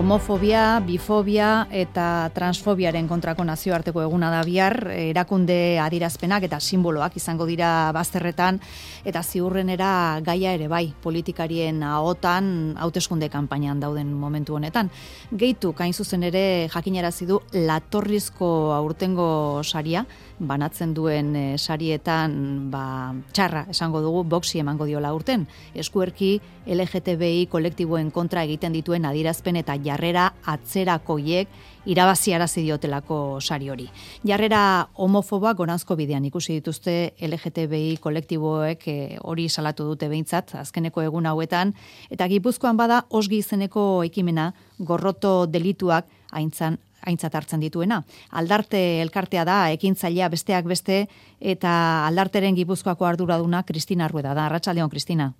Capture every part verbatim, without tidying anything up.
Homofobia, bifobia eta transfobiaren kontrako nazioarteko eguna da bihar, erakunde adierazpenak eta simboloak izango dira bazterretan, eta ziurrenera gaia ere bai, politikarien ahotan hauteskunde kanpainan dauden momentu honetan. Gehitu, kain zuzen ere jakinarazi du latorrizko aurtengo saria, banatzen duen e, sarietan ba, txarra esango dugu boxi emango diola urten. Eskuerki L G T B I kolektiboen kontra egiten dituen adierazpen eta jarrera atzerakoiek irabaziarazi diotelako sari hori. Jarrera homofoboak goranzko bidean ikusi dituzte L G T B I kolektiboek e, hori salatu dute behintzat azkeneko egun hauetan, eta Gipuzkoan bada osgi izeneko ekimena gorroto delituak aintzan aintzat hartzen dituena. Aldarte elkartea da, ekintzailea besteak beste, eta aldarteren Gipuzkoako arduraduna Kristina Rueda da. Arratsaldeon, Kristina.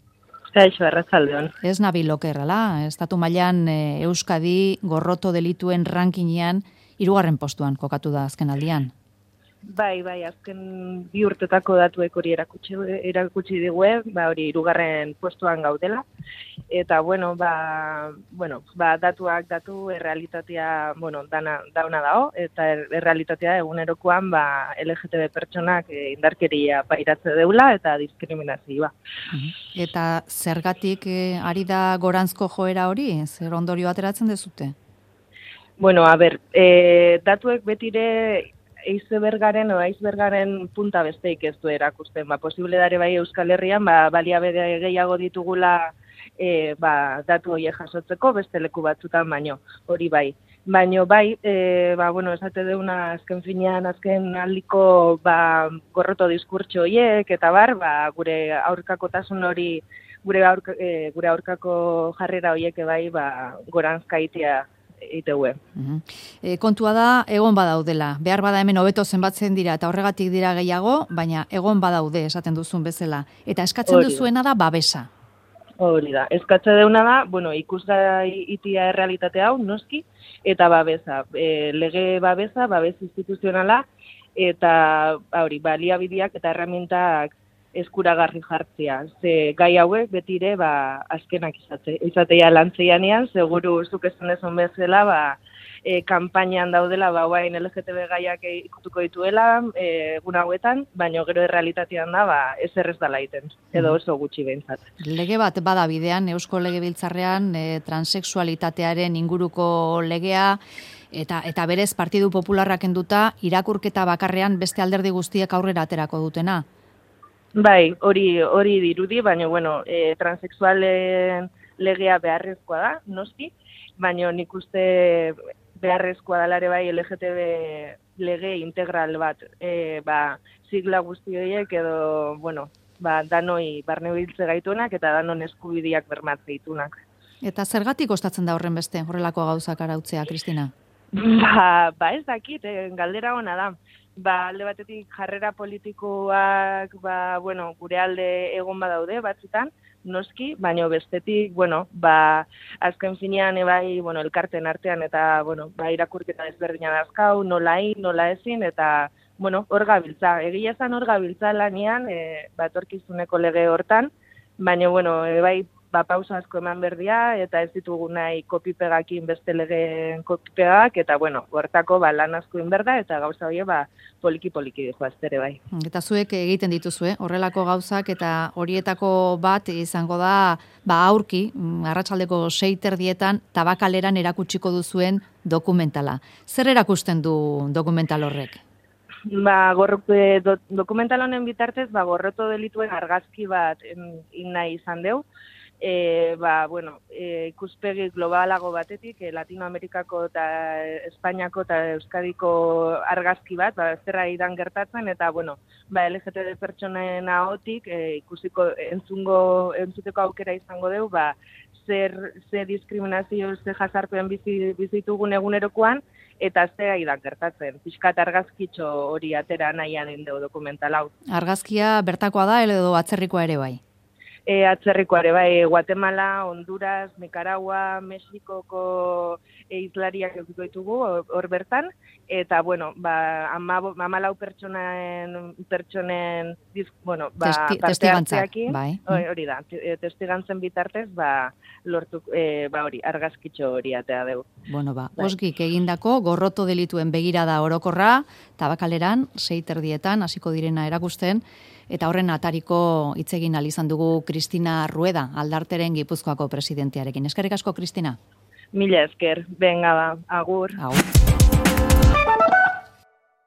Kaixo, arratsaldeon. Ez nabil okerrala, estatu mailan e, Euskadi gorroto delituen rankinean hirugarren postuan kokatu da azken aldian. Bai, bai, azken bi urtetako datuek hori erakutsi, erakutsi digue, ba hori hirugarren postuan gaudela. Eta bueno, ba, bueno, ba datuak datu errealitatea, bueno, dana dauna dago eta er, errealitatea egunerokoan ba L G T B pertsonak e, indarkeria pairatze deula eta diskriminazioa. Eta zergatik e, ari da goranzko joera hori? Zer ondorio ateratzen dezute? Bueno, a ber, e, datuek betire icebergaren o icebergaren punta besteik ez du erakusten. Ba, posible dare bai Euskal Herrian, ba, baliabide gehiago ditugula e, ba, datu horiek jasotzeko beste leku batzutan baino, hori bai. Baino bai, e, ba, bueno, esate deuna azken finean, azken aldiko ba, gorroto diskurtso horiek, eta bar, ba, gure aurkakotasun hori, gure, aurka, e, gure aurkako jarrera horiek bai, ba, goranzkaitea iteue. Uh-huh. E, kontua da, egon badaudela. Behar bada hemen hobeto zenbatzen dira eta horregatik dira gehiago, baina egon badaude esaten duzun bezala. Eta eskatzen Hori duzuena da babesa. Hori da. Eskatzen deuna da, bueno, ikusgai itia errealitate hau, noski, eta babesa. E, lege babesa, babes instituzionala, eta hori, baliabideak eta herramientak eskuragarri jartzea. Ze gai hauek betire ba azkenak izate, izatea lantzeianean, seguru zuk esan dezun bezala, ba e, kanpainan daudela ba orain L G T B gaiak ikutuko dituela e, egun hauetan, baina gero errealitatean da ba ezer ez dela egiten, edo oso gutxi behintzat. Lege bat bada bidean Eusko Legebiltzarrean e, transexualitatearen inguruko legea, eta eta berez Partidu Popularrak kenduta irakurketa bakarrean beste alderdi guztiek aurrera aterako dutena. Bai, hori hori dirudi, baina bueno, e, transexualen legea beharrezkoa da, noski, baina nik uste beharrezkoa dela ere bai L G T B lege integral bat, e, ba, sigla guzti horiek edo, bueno, ba, danoi barnebiltze gaituenak eta danon eskubideak bermatze ditunak. Eta zergatik kostatzen da horren beste, horrelako gauzak arautzea, Kristina? Ba, ba ez dakit, eh, galdera ona da. Ba, alde batetik jarrera politikoak, ba, bueno, gure alde egon badaude batzutan, noski, baina bestetik, bueno, ba, azken finean ebai, bueno, elkarten artean eta, bueno, ba, irakurketa ezberdina dazkau, nola hin, nola ezin, eta, bueno, hor gabiltza. Egia esan hor gabiltza lanian, e, ba, etorkizuneko lege hortan, baina, bueno, ebai, ba, pausa asko eman berdia, eta ez ditugu nahi kopipegakin beste legeen kopipegak, eta, bueno, hortako ba, lan asko inberda, eta gauza hori, ba, poliki-poliki dijo aztere bai. Eta zuek egiten dituzue, horrelako gauzak, eta horietako bat izango da, ba, aurki, arratsaldeko sei terdietan, tabakaleran erakutsiko duzuen dokumentala. Zer erakusten du dokumental horrek? Ba, gorrote, do, dokumental honen bitartez, ba, gorroto delituen argazki bat inna izan deu, E, ba, bueno, e, ikuspegi globalago batetik, e, Latinoamerikako eta Espainiako eta Euskadiko argazki bat, ba, zerra idan gertatzen, eta, bueno, ba, L G T B pertsonen ahotik, e, ikusiko entzungo, entzuteko aukera izango deu, ba, zer, zer diskriminazio, zer jazarpen bizi, bizitugun egunerokoan, eta zera idan gertatzen. Piskat argazkitxo hori atera nahian indeu dokumental hau. Argazkia bertakoa da, edo atzerrikoa ere bai? E, atzerrikoare bai, Guatemala, Honduras, Nicaragua, Mexikoko eizlariak edukiko ditugu hor bertan, eta, bueno, ba, amalau pertsonen, pertsonen, bueno, ba, Testi, parte hartzeakin, bai. hori da, testigantzen bitartez, ba, lortu, e, ba, hori, argazkitxo hori atea dugu. Bueno, ba, bai. Osgik egindako gorroto delituen begirada orokorra, Tabakaleran, sei terdietan, hasiko direna erakusten, eta horren atariko hitz egin ahal izan dugu Kristina Rueda, Aldarteren Gipuzkoako presidentearekin. Eskerrik asko, Kristina. Mila esker, benga ba, agur. Agur.